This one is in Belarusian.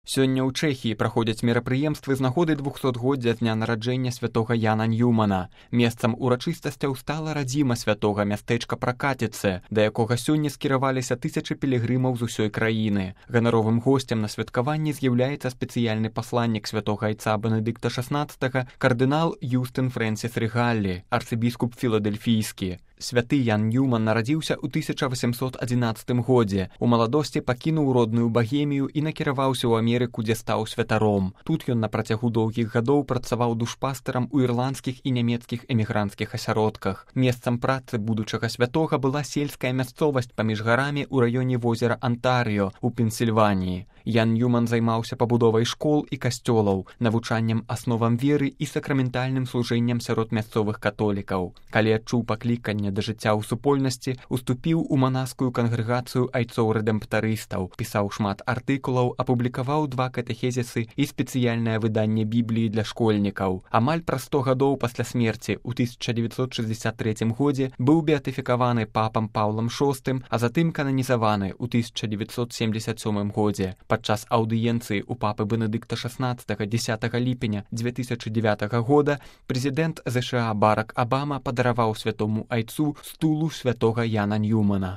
Сёння ў Чэхіі праходзяць мерапрыемствы з нагоды 200-годдзя дня нараджэння святога Яна Ньюмана. Месцам урачыстасцяў стала радзіма святога мястэчка Пракаціцы, да якога сёння скіраваліся тысячы пілігрымаў з усёй краіны. Ганаровым госцем на святкаванні з'яўляецца спецыяльны пасланнік святога айца Бенедыкта XVI, кардынал Юстын Фрэнсіс Рыгаллі, арцыбіскуп філадельфійскі. Святы Ян Ньюман нарадзіўся ў 1811 годзе. У маладосці пакінуў родную Багемію і накіраваўся ў Амерыку, дзе стаў святаром. Тут ён на працягу доўгіх гадоў працаваў душпастарам у ірландскіх і нямецкіх эмігранцкіх асяродках. Месцам працы будучага святога была сельская мясцовасць паміж гарамі ў раёне возера Антарыё у Пенсільваніі. Ян Ньюман займаўся пабудовай школ і касцёлаў, навучаннем асновам веры і сакраментальным служэннем сярод мясцовых католікаў. Калі адчуў пакліканне да жыцця ў супольнасці, уступіў у манаскую кангрэгацыю айцоў-рэдэмптарыстаў, пісаў шмат артыкулаў, апублікаваў 2 катэхезісы і спецыяльнае выданне Бібліі для школьнікаў. Амаль праз 100 гадоў пасля смерці ў 1963 годзе быў беатыфікаваны папам Паўлам VI, а затым кананізаваны ў 1977 годзе. Падчас аўдыенцыі ў папы Бенедыкта XVI 10 ліпеня 2009 года прэзідэнт ЗША Барак Абама падараваў святому айцу стулу святога Яна Ньюмана.